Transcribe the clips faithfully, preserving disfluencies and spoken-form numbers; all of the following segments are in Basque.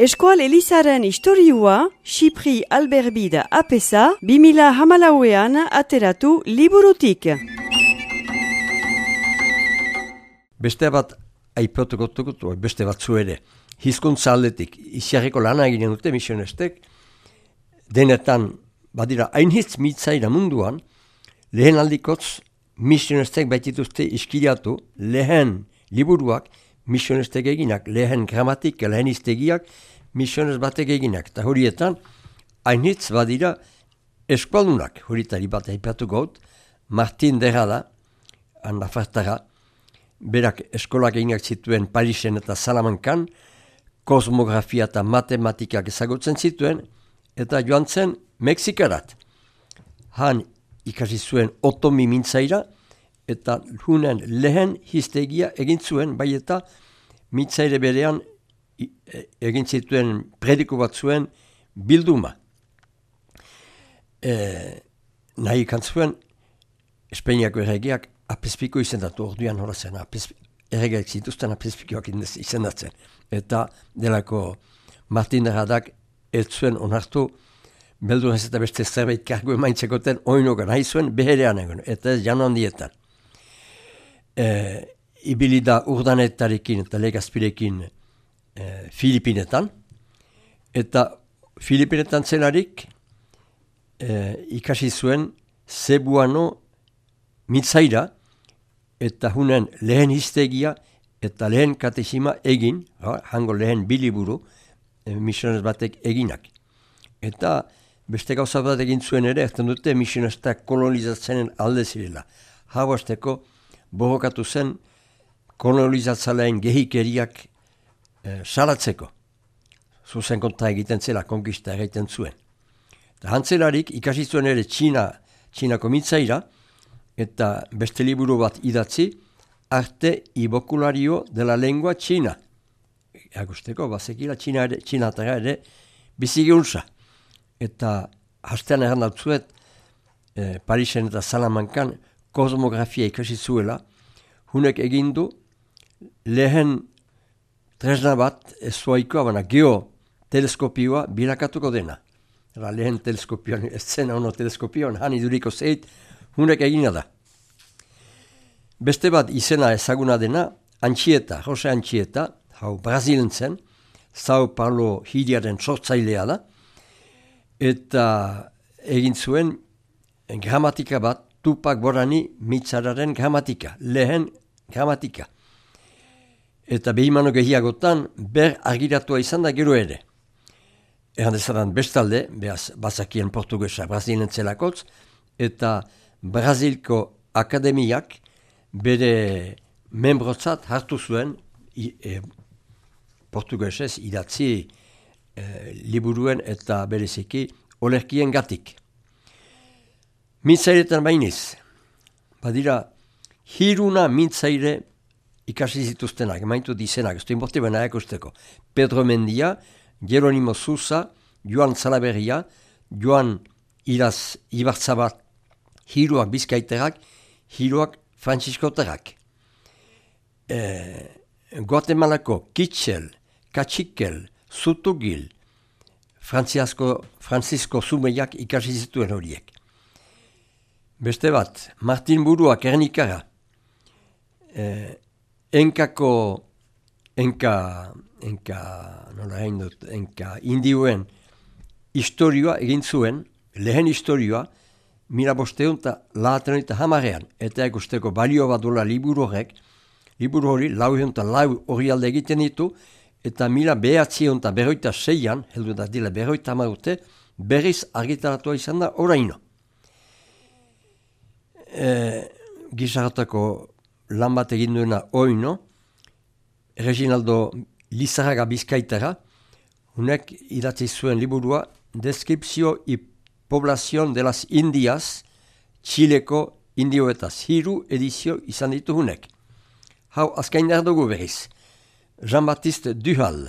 Eskual Elizaren historiua, Xipri Alberbida apesa, bimila hamalauean ateratu liburutik. Beste bat aipatuko dugu, beste batzu ere. Hizkuntza aldetik, isiarreko lana eginen dute misionestek, denetan, badira, hainhitz mitzaira munduan, lehen aldikotz misionestek baitituzte iskiriatu, lehen liburuak misionestek eginak, lehen gramatik, lehen iztegiak misiones batek eginak. Eta horietan, hainhitz badira eskualdunak, horietari bat aipatu gaut, Martin Derrada, Nafartara, berak eskolak eginak zituen Parisen eta Salamankan, kosmografia eta matematikak ezagutzen zituen, eta joan zen Mexikarat. Han ikasi zuen otomi mintzaira, eta hunen lehen hiztegia egin zuen, bai eta mintzaire berean egin zituen prediku bat zuen bilduma. E, nahi ikantzuen, Espainiako erregeak apespiko izendatu, orduan hola zen, erregeak zituzten apespikoak izendatzen. Eta delako Martin Derradak ez zuen onartu, beldur ez eta beste zerbait kargu emaintzekoten oinogan, nahi zuen beherean egon, eta ez jano handietan. E, ibilida urdanetarekin eta legazpirekin e, Filipinetan, eta Filipinetan zelarik e, ikasi zuen Zebuano mitzaira, eta hunen lehen hiztegia eta lehen katexima egin, hango lehen biliburu, e, misiones batek eginak. Eta beste gauza bat egin zuen ere, ezten dute misionestak kolonizatzenen alde zirela. Hau azteko borrokatu zen kolonizatzalean gehikeriak e, salatzeko. Zuzen kontra egiten zela, konkista egiten zuen. Eta hantzelarik ikasi zuen ere Txina, Txinako mitzaira, eta beste liburu bat idatzi, Arte y voculario de la lengua Txina. Agusteko, bazekila Txina ere, Txinatara ere bizigiuntza. Eta hastean erran dautzuet, e, Parisen eta Salamankan kosmografia ikasi zuela, hunek egindu lehen tresna bat ez zuaikoa, baina geoteleskopioa bilakatuko dena. Era lehen teleskopioan, ez zena ono teleskopioan, han iduriko zeit, hunek egina da. Beste bat izena ezaguna dena, Antxieta, Jose Antxieta, hau Brazilen zen, Sao Paulo hiriaren sortzailea da, eta egin zuen gramatika bat, Tupak Borani mitzararen gramatika, lehen gramatika. Eta behimano gehiagotan, ber argiratua izan da gero ere. Eran dezadan bestalde, behaz bazakien portugesa Brazilen zelakotz, eta Brazilko akademiak bere membrotzat hartu zuen e, portugesez idatzi e, liburuen eta bereziki olerkien gatik. Mintzairetan bainiz, badira hiruna mintzaire ikasi zituztenak, maitu dizenak, ez du inborti baina ekusteko. Pedro Mendia, Jeronimo Sousa, Joan Salaberria, Joan Iraz Ibartzabat, hiruak bizkaiterak, hiruak frantziskoterak. E, Guatemalako Kitxel, Katxikel, Zutugil, Francisco Zumeiak ikasi zituen horiek. Beste bat, Martin Burua Kernikara, eh, enkako, enka, enka, nola hain dut, enka indioen historioa egin zuen, lehen historioa, mila bosteun eta lahaten eta hamarean, eta egusteko balio bat dola liburu horrek, liburu hori lau eta lau hori alde egiten ditu, eta mila behatzion eta berroita seian, heldu da dila berroita hamarute, berriz argitaratua izan da oraino. E, Gizarratako lan bat egin duena oino, Reginaldo Lizarraga Bizkaitara, hunek idatzi zuen liburua Descriptio y Población de las Indias, Txileko indioetaz, hiru edizio izan ditu hunek. Hau azkain behar dugu berriz. Jean-Baptiste Duhal,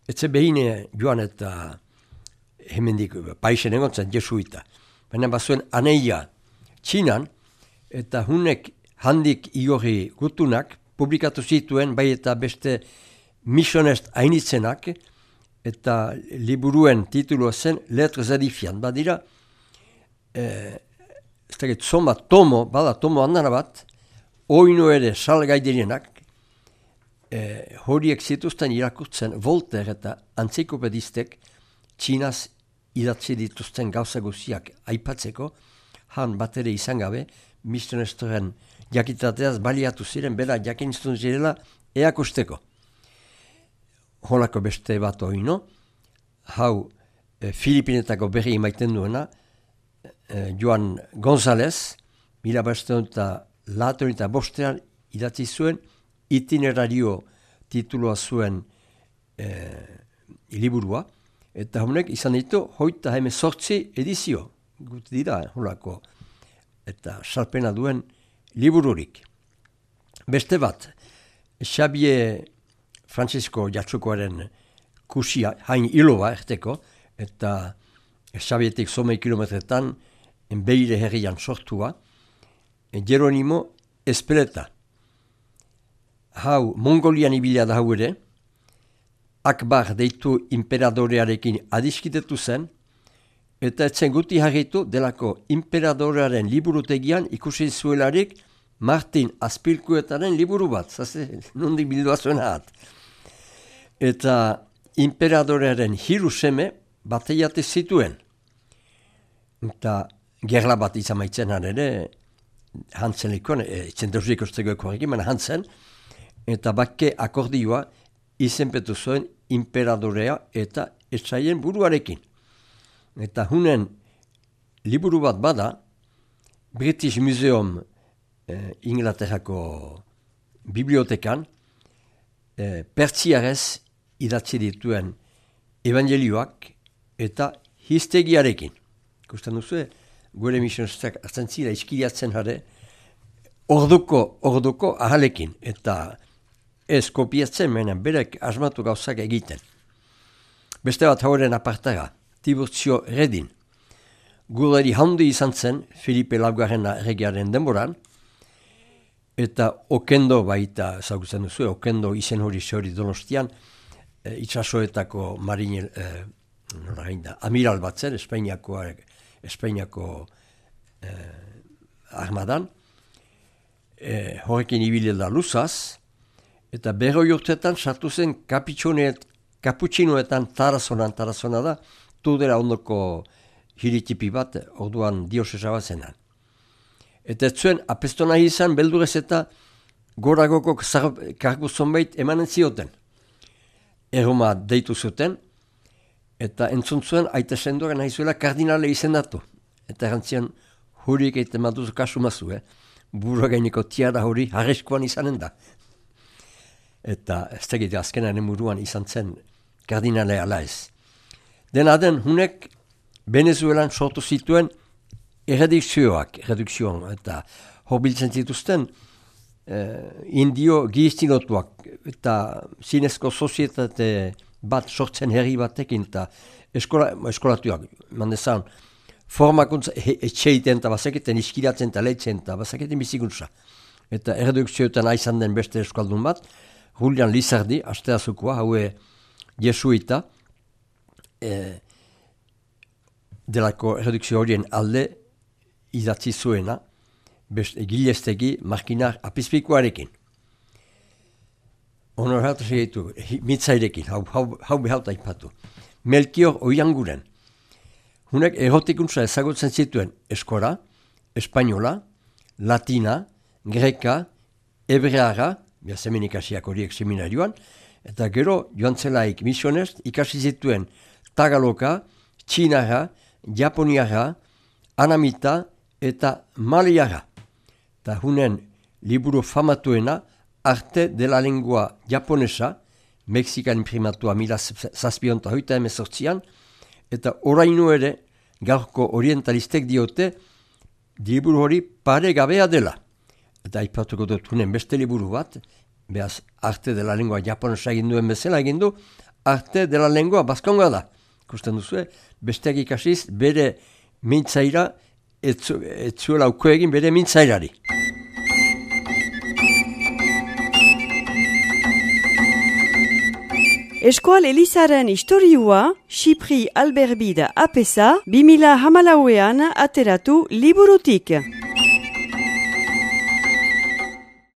etze behine joan eta hemendik paisen egontzen jesuita. Baina bazuen aneia Txinan, eta hunek handik iorri gutunak publikatu zituen, bai eta beste misionest hainitzenak, eta liburuen titulua zen Lettres Edifiant. Badira, eh, ez dakit, zoma tomo, bada tomo handana bat, oinu ere salgai direnak, eh, horiek zituzten irakurtzen Voltaire eta antzikopedistek Txinaz idatzi dituzten gauza guziak aipatzeko, han bat ere izan gabe, misionestoren jakitateaz baliatu ziren, bera jakinztun zirela eakusteko. Holako beste bat oino, hau e, Filipinetako berri maiten duena, e, Joan González, mila bestean eta laton eta bostean idatzi zuen, itinerario titulua zuen e, liburua, eta honek izan ditu, hoita hemen sortzi edizio, gut dira, holako, eta salpena duen libururik. Beste bat, Xabier Francisco Jatsukoaren kusia, hain iloba erteko, eta Xabietik somei kilometretan, Beire herrian sortua, Jeronimo Espeleta. Hau, Mongolian ibila da hau ere, Akbar deitu imperadorearekin adiskitetu zen, eta etzen guti harritu delako imperadorearen liburutegian ikusi zuelarik Martin Azpilkuetaren liburu bat, zaze, nondik bildua zuen hat. Eta imperadorearen hiru seme bateiate zituen. Eta gerla bat izan maitzen ere, Hansen likoan, etzen deusik usteko horrekin, Hansen, eta bakke akordioa izenpetu zuen imperadorea eta etsaien buruarekin. Eta hunen liburu bat bada, British Museum eh, Inglaterrako bibliotekan, eh, pertsiarez idatzi dituen evangelioak eta histegiarekin. Ikusten duzu, gure misionistak hartzen zira iskiliatzen jare, orduko, orduko ahalekin, eta ez kopiatzen menen, berek asmatu gauzak egiten. Beste bat hauren apartara, Tiburtzio Redin. Gureri handi izan zen, Filipe Laugarren erregearen denboran, eta Okendo baita, zagutzen duzu, Okendo izen hori zehori Donostian, e, itxasoetako marinel, e, da, amiral bat zen, Espainiako, Espainiako e, armadan, e, horrekin ibile da luzaz, eta berroi urtetan sartu zen kaputxinoetan Tarazonan, Tarazona da, Tudela ondoko hiritipi bat, orduan diosesa bat zenan. Eta ez zuen, apestona izan, beldurez eta goragoko kargu zonbait emanen zioten. Erroma deitu zuten, eta entzun zuen, aita sendoren nahi zuela kardinale izendatu. Eta erantzian, huriek eite maduzu kasu mazu, eh? Burua gaineko tiara hori harreskoan izanen da. Eta ez tegite azkenaren buruan izan zen kardinale ala ez. Dena den, hunek Venezuelan sortu zituen erredukzioak, erredukzioan, eta horbiltzen zituzten eh, indio giztinotuak, eta zinezko sozietate bat sortzen herri batekin, eta eskola, eskolatuak, mandezan, formakuntza etxeiten, eta bazaketen iskiratzen, eta lehitzen, eta bazaketen bizikuntza. Eta erredukzioetan aizan den beste eskaldun bat, Julian Lizardi, asteazukua, haue jesuita, E, delako redukzio horien alde idatzi zuena, gilestegi markinar apizpikoarekin. Honor hatu segitu, mitzairekin, hau, hau, hau behauta ipatu. Melchior Oianguren. Hunek erotikuntza ezagutzen zituen eskora, espainola, latina, greka, hebreara, biazemen ikasiak horiek seminarioan, eta gero joan zelaik misionez ikasi zituen Tagaloka, Txinara, Japoniara, Anamita eta Maliara. Eta hunen liburu famatuena Arte de la Lengua Japonesa, Mexikan imprimatua mila zazpionta hoita emezortzian, eta orainu ere gaurko orientalistek diote liburu hori pare gabea dela. Eta aipatuko dut hunen beste liburu bat, behaz Arte de la Lengua Japonesa egin duen bezala egin du, Arte de la Lengua Baskonga da. Kusten duzu, besteak ikasiz bere mintzaira, etzuela uko egin bere mintzairari. Eskoal Elizaren istorioa, Xipri Alberbide apesa, bi mila hamalauean ateratu liburutik.